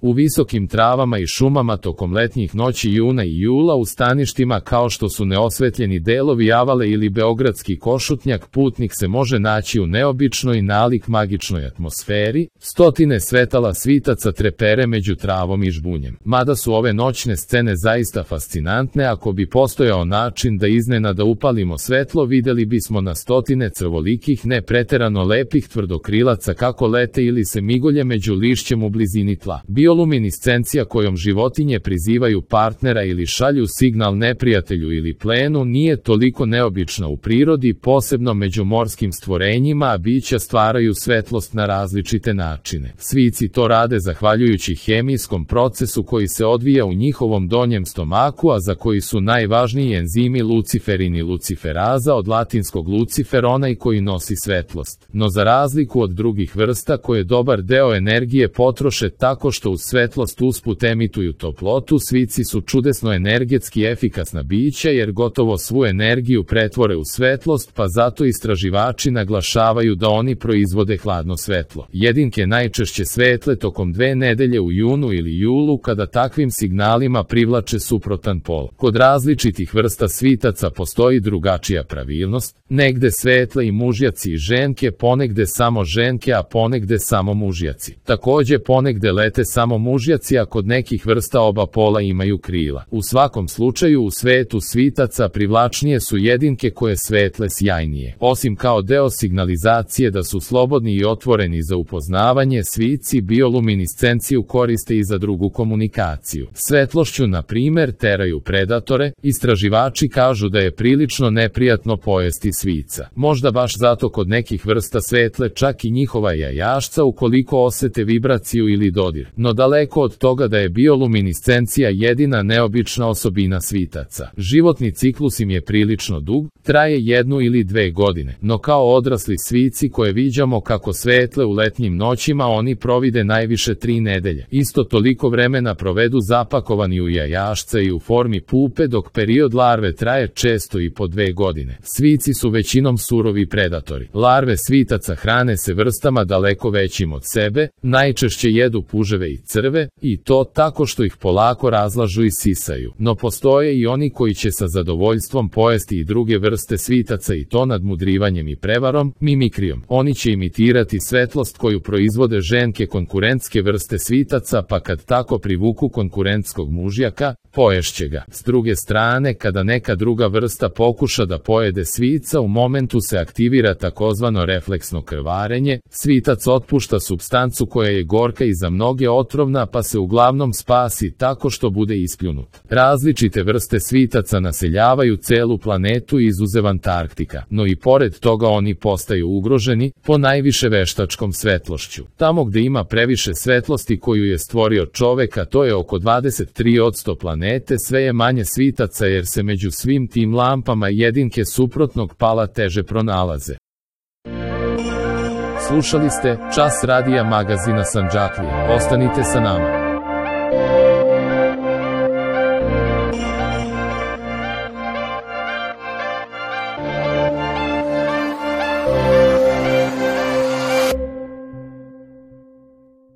U visokim travama i šumama tokom letnjih noći juna i jula u staništima kao što su neosvetljeni delovi Avale ili beogradski Košutnjak putnik se može naći u neobičnoj nalik magičnoj atmosferi, stotine svetala svitaca trepere među travom i žbunjem. Mada su ove noćne scene zaista fascinantne, ako bi postojao način da iznenada upalimo svetlo, videli bismo na stotine crvolikih, ne preterano lepih tvrdokrilaca kako lete ili se migolje među lišćem u blizini tla. Bioluminiscencija kojom životinje prizivaju partnera ili šalju signal neprijatelju ili plenu nije toliko neobična u prirodi, posebno među morskim stvorenjima, a bića stvaraju svetlost na različite načine. Svici to rade zahvaljujući hemijskom procesu koji se odvija u njihovom donjem stomaku, a za koji su najvažniji enzimi luciferin i luciferaza, od latinskog lucifer, onaj koji nosi svetlost. No za razliku od drugih vrsta koje dobar deo energije potroše tako što uz svetlost usput emituju toplotu, svici su čudesno energetski efikasna bića jer gotovo svu energiju pretvore u svetlost, pa zato istraživači naglašavaju da oni proizvode hladno svetlo. Jedinke najčešće svetle tokom 2 nedelje u junu ili julu kada takvim signalima privlače suprotan pol. Kod različitih vrsta svitaca postoji drugačija pravilnost, negde svetle i mužjaci i ženke, ponegde samo ženke, a ponegde samo mužjaci. Takođe ponegde lete samo mužjaci, a kod nekih vrsta oba pola imaju krila. U svakom slučaju u svetu svitaca privlačnije su jedinke koje svetle sjajnije. Osim kao deo signalizacije da su slobodni i otvoreni za upoznavanje, svici bioluminiscenciju koriste i za drugu komunikaciju. Svetlošću, na primer, teraju predatore. Istraživači kažu da je prilično neprijatno pojesti svica. Možda baš zato kod nekih vrsta svetle čak i njihova jajašca ukoliko osete vibraciju ili dodir. No daleko od toga da je bioluminiscencija jedina neobična osobina svitaca. Životni ciklus im je prilično dug, traje 1 ili 2 godine, no kao odrasli svici koje viđamo kako svetle u letnjim noćima, oni provide najviše 3 nedelje. Isto toliko vremena provedu zapakovani u jajašce i u formi pupe, dok period larve traje često i po 2 godine. Svici su većinom surovi predatori. Larve svitaca hrane se vrstama daleko većim od sebe, najčešće jedu puževe i crve, i to tako što ih polako razlažu i sisaju. No postoje i oni koji će sa zadovoljstvom pojesti i druge vrste svitaca, i to nadmudrivanjem i prevarom, mimikrijom. Oni će imitirati svetlost koju proizvode ženke konkurentske vrste svitaca, pa kad tako privuku konkurentskog mužjaka, poješće ga. S druge strane, kada neka druga vrsta pokuša da pojede svica, u momentu se aktivira takozvano refleksno krvarenje. Svitac otpušta supstancu koja je gorka i za mnoge otrovna, pa se uglavnom spasi tako što bude ispljunut. Različite vrste svitaca naseljavaju celu planetu izuzev Antarktika, no i pored toga oni postaju ugroženi, po najviše veštačkom svetlošću. Tamo gde ima previše svetlosti koju je stvorio čovek, a to je oko 23% planete, sve je manje svitaca jer se među svim tim lampama jedinke suprotnog pala teže pronalaze. Slušali ste Čas radija magazina Sandžaklija. Ostanite sa nama.